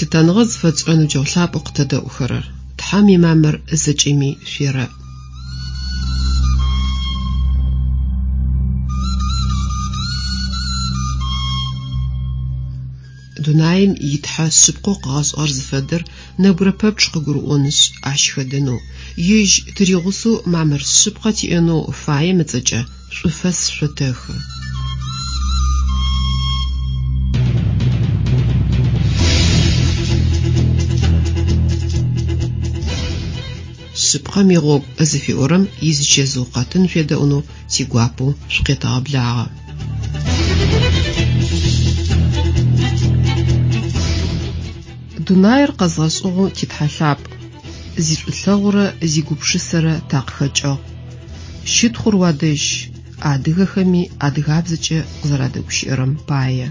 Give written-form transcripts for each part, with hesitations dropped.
Лъытэныгъэ зыфэтшӏырэ ныбджэгъу лъапӏэу къытэдэӏухэрэр, Тхьэм имамыр зэкӏэми шъуерэӏ. Дунаим и Тхьэ шъыпкъэу къыгъэшӏыгъэр зыфэдэр нэбгырэ пэпчъ къыгурыӏонышъ, ащ хэдэнэу, ежь тыригъусэу мамыр шъыпкъэ тиӏэнэу фаем ыцӏэкӏэ шӏуфэс шъотэхы. Шъыпкъэм игъогу зыфиӏорэм изычэзыу къэтын шъуедэӏунэу тигуапэу шъукъетэгъэблагъэ. Дунаир къэзгъэшӏыгъэу ти Тхьэ лъапӏ, зишӏулъэгъурэ зигупшысэрэ такъыхэкӏыгъ. Щытхъур уадэжь, адыгэхэми адыгабзэкӏэ къызэрадэгущыӏэрэм пае.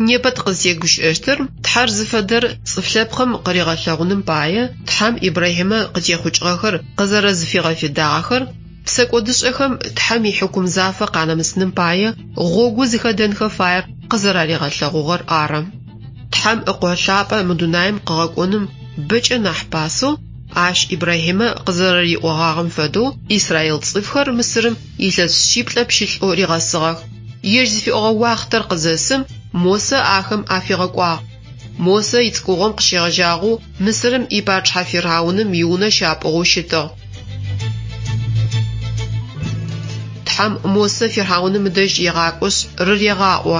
Непэ тыкъызтегущыӏэщтыр Тхьэр зыфэдэр цӏыф лъэпкъым къыригъэлъэгъуным пае Тхьэм Ибрахьимэ къытехъукӏыгъэхэр къызэрэзыфигъэфедагъэхэр, псэкӏодышӏэхэм Тхьэм ихьыкум зафэ къанэмысыным пае гъогу зыхэдэнхэ фаер къызэраригъэлъэгъугъэр ары. Тхьэм Ыкъо лъапӏэ мы дунаим къыгъэкӏоным бэкӏэ нахь пасэу, ащ Ибрахьимэ къызэрэриӏогъагъэм фэдэу, израил цӏыфхэр Мысырым илъэс шъиплӏэ пщылӏэу ригъэсыгъэх. Ежь зыфиӏогъэ уахътэр къызэсым, Мосэ ахэм афигъэкӏуагъ. Мосэ ицӏыкӏугъом къыщегъэжьагъэу Мысырым ипачъыхьэ фирхьауным иунэ щапӏугъэу щытыгъ. Тхьэм Мосэ фирхьауным ыдэжь егъакӏошъ, рырегъаӏо: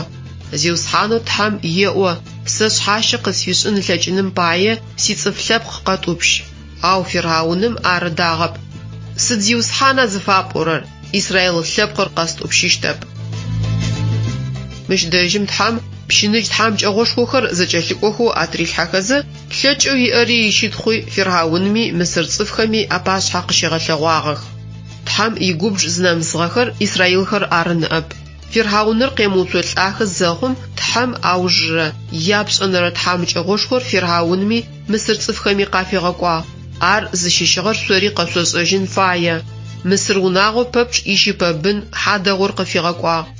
Зиусхьанэу Тхьэм еӏо, Сэ шъхьащэ къысфишӏын ылъэкӏыным пае сицӏыф лъэпкъ къэтӏупщ. Ау фирхьауным ар ыдагъэп. Сыд Зиусхьана зыфапӏорэр, израил лъэпкъыр къэстӏупщыщтэп. Мыщ дэжьым Тхьэм пщыныжь тхьамыкӏэгъошхохэр зэкӏэлъыкӏохэу атырилъхьэхэзэ, лъэкӏэу иӏэри ищытхъуи фирхьаунми мысыр цӏыфхэми апашъхьэ къыщигъэлъэгъуагъэх. Тхьэм игубж зынэмысыгъэхэр израилхэр ары ныӏэп. Фирхьауныр къемыуцолӏахэ зэхъум, Тхьэм аужырэ, япшӏэнэрэ тхьамыкӏэгъошхор фирхьаунми мысыр цӏыфхэми къафигъэкӏуагъ. Ар зыщыщыгъэр шъори къэшъошӏэжьын фае. Мысыр унагъо пэпчъ ищыпэбын хьадэгъур къыфигъэкӏуагъ.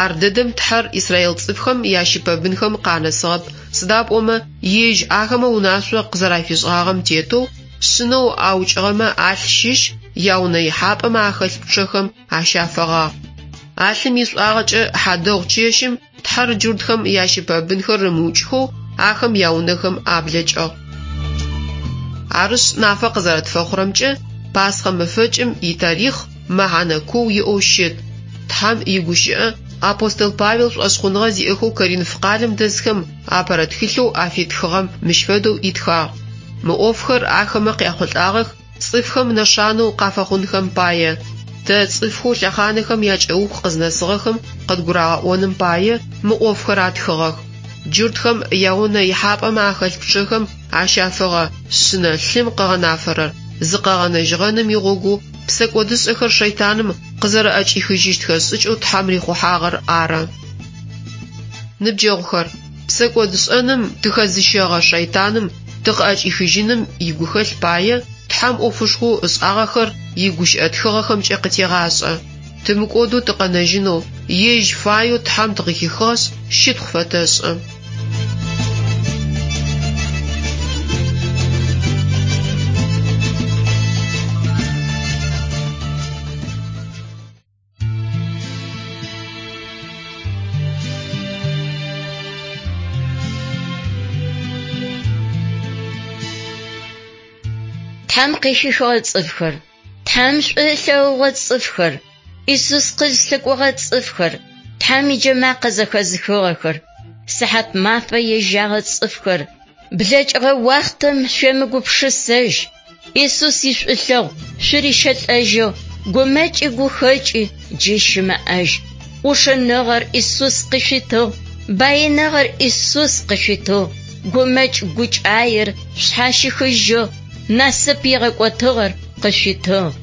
Ар дэдэм Тхьэр израил цӏыфхэм ящыпэбынхэм къанэсыгъэп, сыда пӏомэ ежь ахэмэ унашъо къызэрафишӏыгъагъэм тетэу, шъынэу аукӏыгъэмэ алъ щыщ яунэ ихьапӏэмэ ахэлъ пчъэхэм ащафэгъагъ. А лъым ишӏуагъэкӏэ хьадэгъу чэщым Тхьэр джуртхэм ящыпэбынхэр ымыукӏхэу ахэм яунэхэм аблэкӏыгъ. Арышъ, нафэ къызэрэтфэхъурэмкӏэ, Пасхъэ мэфэкӏым итарихъ мэхьанэ куу иӏэу щыт. Тхьэм игущыӏэ апостол Павел шӏошъхъуныгъэ зиӏэхэу Коринф къалэм дэсхэм апэрэ тхылъэу афитхыгъэм мыщ фэдэу итхагъ, Мы ӏофхэр ахэмэ къяхъулӏагъэх цӏыфхэм нэшанэу къафэхъунхэм пае, тэ цӏыфхэу лъэхъанэхэм якӏэух къызнэсыгъэхэм къыдгурагъэӏоным пае мы ӏофхэр атхыгъэх. Джуртхэм яунэ ихьапӏэмэ ахэлъ пчъэхэм ащафэгъэ шъынэ лъым къыгъэнафэрэр зыкъэгъэнэжьыгъэным игъогоу псэкӏодышӏэхэр шэйтаным къызэрэӏэкӏихыжьыщтхэ шӏыкӏэу Тхьэм рихъухьагъэр ары. Ныбджэгъухэр, псэкӏодышӏэным тыхэзыщэгъэ шэйтаным тыкъыӏэкӏихыжьыным игухэлъ пае Тхьэм ӏофышхоу ышӏагъэхэр игущыӏэ тхыгъэхэмкӏэ къытегъашӏэ. Тымыкӏодэу тыкъэнэжьынэу, ежь фаеу Тхьэм тыкъыхихыгъэшъ, щытхъу фэтэшӏы. Тхьэм къыхихыгъэ цӏыфхэр, Тхьэм шӏу ылъэгъугъэ цӏыфхэр, Исус къызлъыкӏогъэ цӏыфхэр, Тхьэм иджэмакъэ зэхэзыхыгъэхэр, сыхьат мафэ ежьагъэ цӏыфхэр, блэкӏыгъэ уахътэм шъуемыгупшысэжь, Исус ишӏулъэгъу шъурищэлӏэжьэу гумэкӏи гухэкӏи джы щымыӏэжь. ӏушыныгъэр Исус къышъуитыгъ. Баиныгъэр Исус къышъуитыгъ, гумэкӏ гукӏаер шъхьащихыжьыгъ, насып игъэкӏотыгъэр къышъуитыгъ.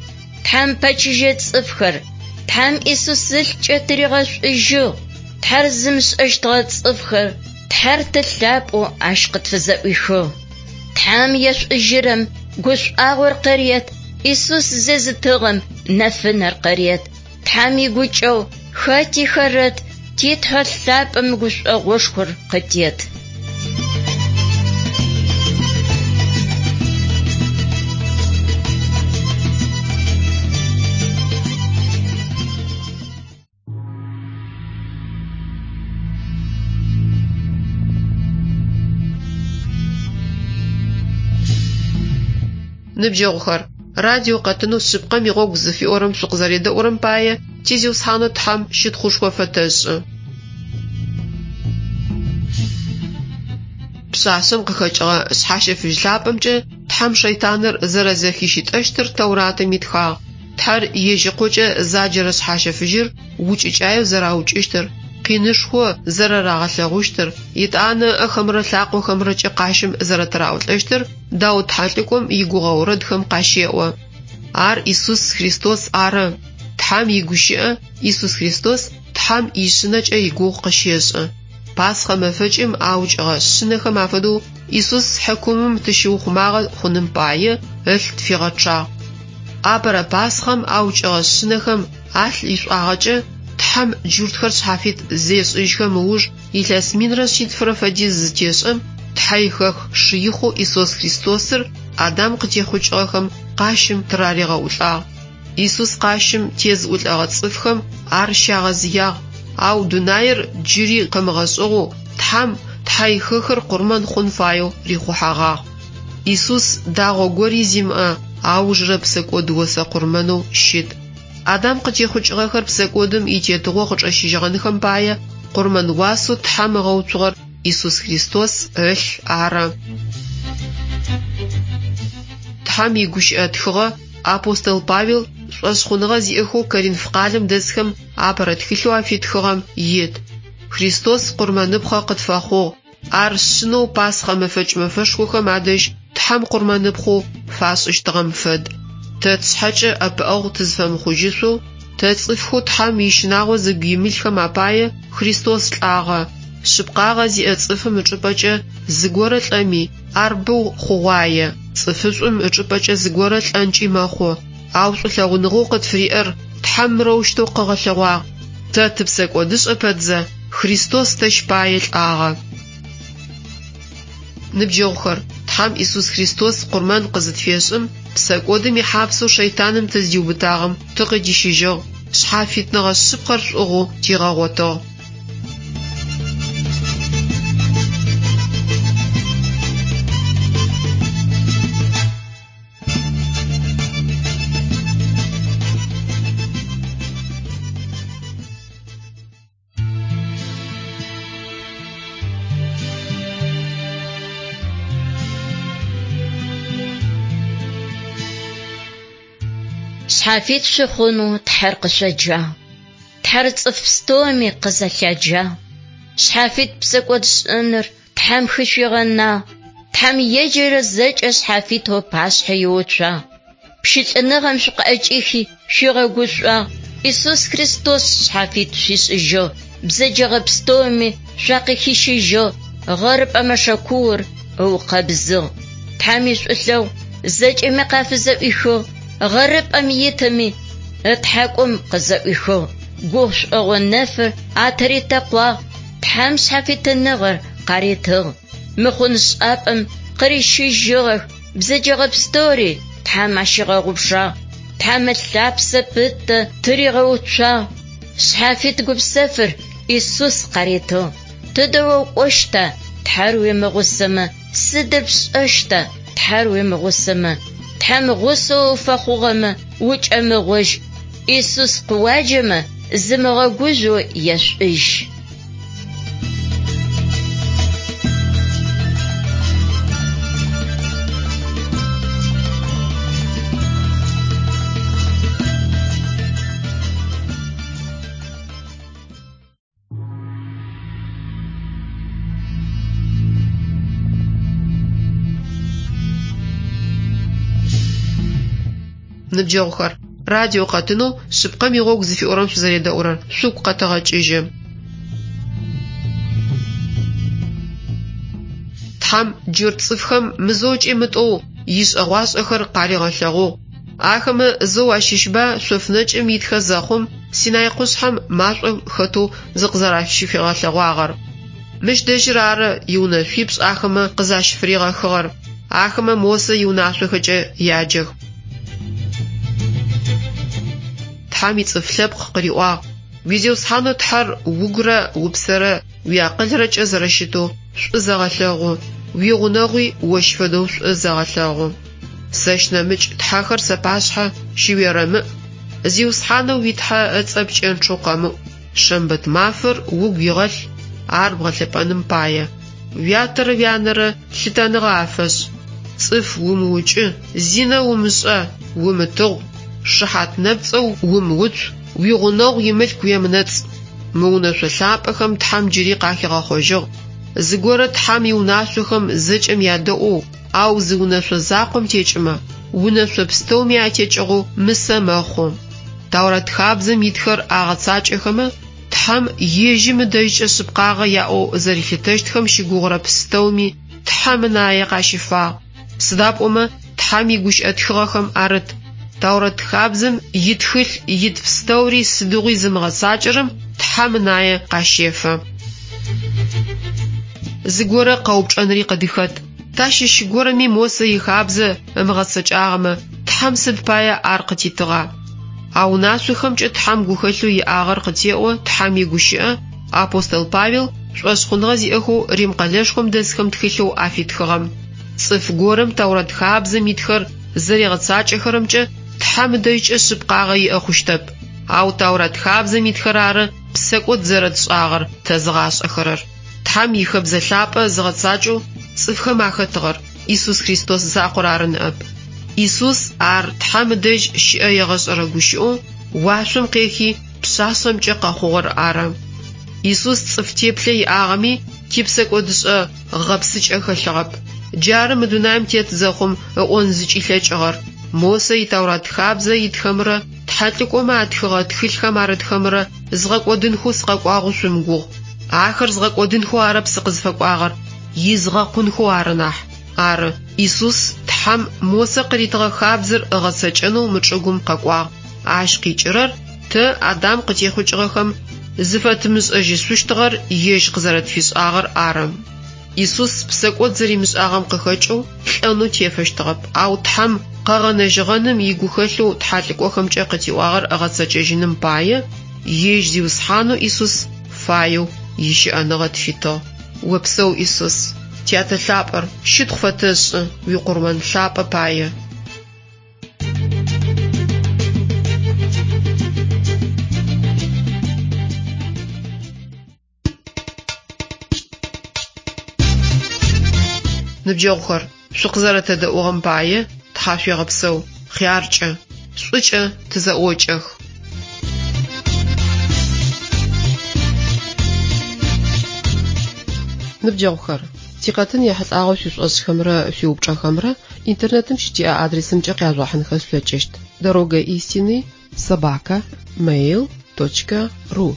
Тхьэм пэчыжьэ цӏыфхэр, Тхьэм Исус ылъкӏэ тыригъэшӏужьыгъ. Тхьэр зымышӏэщтыгъэ цӏыфхэр, Тхьэр Ты лъапӏэу ащ къытфызэӏуихыгъ. Тхьэм ешӏужьырэм гушӏуагъор къырет, Исус зезытыгъэм нэфынэр къырет. Тхьэм игукӏэгъу хэти хэрэт, ти Тхьэ лъапӏэм гушӏогъошхор къытет. Ныбджэгъухэр, радио къэтынэу Шъыпкъэм игъогу зыфиӏорэм шъукъызэредэӏурэм пае ти Зиусхьанэу Тхьэм щытхъушхо фэтэшӏы. Пшъашъэм къыхэкӏыгъэ шъхьащэфыжь лъапӏэмкӏэ Тхьэм шэйтаныр зэрэзэхищытӏэщтыр Тэуратым итхагъ. Тхьэр ежь Ыкъокӏэ заджэрэ шъхьащэфыжьыр укӏыкӏаеу зэраукӏыщтыр, къинышхо зэрэрагъэлъэгъущтыр, етӏанэ ыӏэхэмрэ лъакъохэмрэкӏэ къащым зэрэтыраӏулӏэщтыр Даут тхьэлӏыкӏом игугъэ орэдхэм къащеӏо. Ар Исус Христос ары. Тхьэм игущыӏэ Исус Христос Тхьэм ишъынэкӏэ игугъу къыщешӏы. Пасхъэ мэфэкӏым аукӏыгъэ шъынэхэм афэдэу Исус хьыкумым тыщыухъумагъэ хъуным пае ылъ тфигъэчъагъ. Апэрэ Пасхъэм аукӏыгъэ шъынэхэм алъ ишӏуагъэкӏэ Тхьэм джуртхэр шъхьафит зешӏыжьхэм ыуж илъэс минрэ шъитфырэ фэдиз зытешӏэм, Тхьэихэх Шыихъэу Исус Христосыр Адам къытехъукӏыгъэхэм къащым тыраригъэӏулӏагъ. Исус къащым тезыӏулӏэгъэ цӏыфхэм ар щагъэзыягъ, ау дунаир джыри къымыгъэшӏыгъэу Тхьэм Тхьэихэхыр къурмэн хъун фаеу рихъухьэгъагъ. Исус дагъо гори зимыӏэ аужырэ псэкӏод осэ къурмэнэу щыт. Адам къытехъукӏыгъэхэр псэкӏодым итетыгъо къычӏэщыжьыгъэнхэм пае къурмэн уасэу Тхьэм ыгъэуцугъэр Исус Христос ылъ ары. Тхьэм игущыӏэ тхыгъэ апостол Павел шӏошъхъуныгъэ зиӏэхэу Коринф къалэм дэсхэм апэрэ тхылъэу афитхыгъэм ит. Христос къурмэныпхъэ къытфэхъугъ. Ар шъынэу Пасхъэ мэфэкӏ мэфэшхохэм адэжь Тхьэм къурмэныпхъэу фашӏыщтыгъэм фэд. Тэ тшъхьэкӏэ ӏэпыӏэгъу тызфэмыхъужьышъоу, тэ цӏыфхэу Тхьэм ищынагъо зыгу имылъхэм апае Христос лӏагъэ. Шъыпкъагъэ зиӏэ цӏыфым ычӏыпӏэкӏэ зыгорэ лӏэми, ар бэу хъугъуае, цӏыфышӏум ычӏыпӏэкӏэ зыгорэ лӏэнкӏи мэхъу. Ау шӏулъэгъуныгъэу къытфыриӏэр Тхьэм мырэущтэу къыгъэлъэгъуагъ, тэ тыпсэкӏодышӏэ пэтзэ, Христос тэщ пае лӏагъэ. Ныбджэгъухэр, Тхьэм Исус Христос къурмэн къызытфешӏым, псэкӏодым ихьапсэу шэйтаным тыздиубытагъэм тыкъыдищыжьыгъ, шъхьафитныгъэ шъыпкъэр шӏугъэу тигъэгъотыгъ. Шъхьафит шъухъунэу Тхьэр къышъоджагъ. Тхьэр цӏыф пстэуми къызэлъяджагъ. Шъхьафит псэкӏодшӏэныр Тхьэм хышъуигъэнагъ. Тхьэм еджэрэ зэкӏэ шъхьафитэу пашъхьэ иуцуагъ. Пщылӏыныгъэм шъукъыӏэкӏихи шъуигъэгушӏуагъ. Исус Христос шъхьафит шъуишӏыжьыгъ, бзэджэгъэ пстэуми шъуакъыхищыжьыгъ, гъэрыпӏэ мэшэкуур ыукъэбзыгъ. Тхьэм ишӏулъэгъу зэкӏэми къафызэӏуихыгъ, гъэрыпӏэм итыми ытхьакӏум къызэӏуихыгъ. Гушӏогъо нэфыр атыритэкъуагъ, Тхьэм шъхьафитыныгъэр къаритыгъ. Мыхъуншӏапӏэм къырищыжьыгъэх, бзэджэгъэ пстэури Тхьэм ащигъэгъупшагъ. Тхьэм ылъапсэ пытэ тыригъэуцуагъ. Шъхьафит гупсэфыр Исус къаритыгъ. Тыдэ укӏощта, Тхьэр уимыгъусэмэ, сыдыр пшӏэщта, Тхьэр уимыгъусэмэ? Тхьэм гъусэу уфэхъугъэмэ, укӏэмыгъожь. Исус къыуаджэмэ, зымыгъэгужъоу ешӏужь. Ныбджэгъухэр, радио къэтынэу Шъыпкъэм игъогу зыфиӏорэм шъузэредэӏурэр шъугу къэтэгъэкӏыжьы. Тхьэм джурт цӏыфхэм мызэу ыкӏи мытӏоу ишӏэгъуашӏэхэр къаригъэлъэгъугъ. Ахэмэ зэу ащыщба шъоф нэкӏым итхэ зэхъум Синай къушъхьэм машӏом хэтэу зыкъызэращыфигъэлъэгъуагъэр. Мыщ дэжьыр ары иунэшъуипшӏ ахэмэ къызащыфыригъэхыгъэр. Ахэмэ Мосэ иунашъохэкӏэ яджэх. Тхьэм ицӏыф лъэпкъ къыриӏуагъ, Уи Зиусхьанэу Тхьэр угурэ упсэрэ уиакъылрэкӏэ зэрэщытэу шӏу зэгъэлъэгъу, уигъунэгъуи ощ фэдэу шӏу зэгъэлъэгъу. Сэщ нэмыкӏ тхьэхэр сапашъхьэ щыуерэмыӏ, Зиусхьанэу уи Тхьэ ыцӏэ пкӏэнчъэу къэмыӏу, шэмбэт мафэр угу игъэлъ, ар бгъэлъэпӏэным пае. Уятэрэ уянэрэ лъытэныгъэ афэшӏ. Цӏыф умыукӏы, зинэ умышӏэ, умытыгъу, шыхьат нэпцӏэу умыуцу, уигъунэгъу имылъку уемынэцӏ. Мы унэшъо лъапӏэхэм Тхьэм джыри къахигъэхъожьыгъ. Зыгорэ Тхьэм иунашъохэм зэкӏэм ядэӏоу, ау зы унэшъо закъом текӏымэ, унэшъо пстэуми атекӏыгъэу мысэ мэхъу. Таурэт хабзэм итхэр агъэцакӏэхэмэ, Тхьэм ежьым ыдэжькӏэ шъыпкъагъэ яӏэу зэрилъытэщтхэм щыгугъырэ пстэуми Тхьэм ынае къащифагъ. Сыда пӏомэ Тхьэм игущыӏэ тхыгъэхэм арыт, Таурэт хабзэм итхылъ ит пстэури сыдигъуи зымыгъэцакӏэрэм Тхьэм ынае къащефэ. Зыгорэ къэупчӏэнри къыдыхэт. Тащыщ горэми Мосэ ихабзэ ымыгъэцэкӏагъэмэ, Тхьэм сыд пае ар къытитыгъа? А унашъохэмкӏэ Тхьэм гухэлъэу иӏагъэр къытеӏо Тхьэм игущыӏэ, апостол Павел шӏошъхъуныгъэ зиӏэхэу Рим къэлэшхом дэсхэм тхылъэу афитхыгъэм. Цӏыф горэм Таурэт хабзэм итхэр зэригъэцакӏэхэрэмкӏэ Тхьэм ыдэжькӏэ шъыпкъагъэ иӏэ хъущтэп. Ау Таурэт хабзэм итхэр ары псэкӏод зэрэтшӏагъэр тэзыгъашӏэхэрэр. Тхьэм ихэбзэ лъапӏэ зыгъэцакӏэу цӏыфхэм ахэтыгъэр Исус Христос закъор ары ныӏэп. Исус ар Тхьэм ыдэжь щыӏэ егъэшӏэрэ гущыӏэу уашъом къехи пшъашъэмкӏэ къэхъугъэр ары. Исус цӏыф теплъэ иӏагъэми, типсэкӏодышӏэ гъэпсыкӏэ хэлъыгъэп. Джары мы дунаим тет зэхъум ыӏон зыкӏилъэкӏыгъэр, Мосэ и Тэурат хабзэ итхэмрэ тхьэлӏыкӏомэ атхыгъэ тхылъхэм арытхэмрэ згъэкӏодынхэу сыкъэкӏуагъэу шъумыгугъ. Ахэр згъэкӏодынхэу арэп сыкъызфэкӏуагъэр, изгъэкъунхэу ары нахь. Ары, Исус Тхьэм Мосэ къыритыгъэ хабзэр ыгъэцэкӏэнэу мы чӏыгум къэкӏуагъ. Ащ къикӏырэр, тэ, Адам къытехъукӏыгъэхэм, зыфэтымышӏэжьышъущтыгъэр ежь къызэрэтфишӏагъэр ары. Исус псэкӏод зэримышӏагъэм къыхэкӏэу лӏэнэу тефэщтыгъэп, ау Тхьэм къэгъэнэжьыгъэным игухэлъэу тхьэлӏыкӏохэмкӏэ къытиӏуагъэр ыгъэцэкӏэжьыным пае, ежь Зиусхьанэу Исус фаеу ищыӏэныгъэ тфитыгъ. Опсэу, Исус! Тятэ лъапӏэр, щытхъу фэтэшӏы уикъурмэн лъапӏэ пае. Ныбджэгъухэр, шъукъызэрэтэдэӏугъэм пае тхьашъуегъэпсэу, хъяркӏэ, шӏукӏэ тызэӏокӏэх. Ныбджэгъухэр, тикъэтын ехьылӏагъэу шъуишӏошӏхэмрэ шъуиупчӏэхэмрэ интернетым щытиӏэ адресымкӏэ къяжъугъэхьынхэ шъулъэкӏыщт: Дорога истины собака mail точка ру.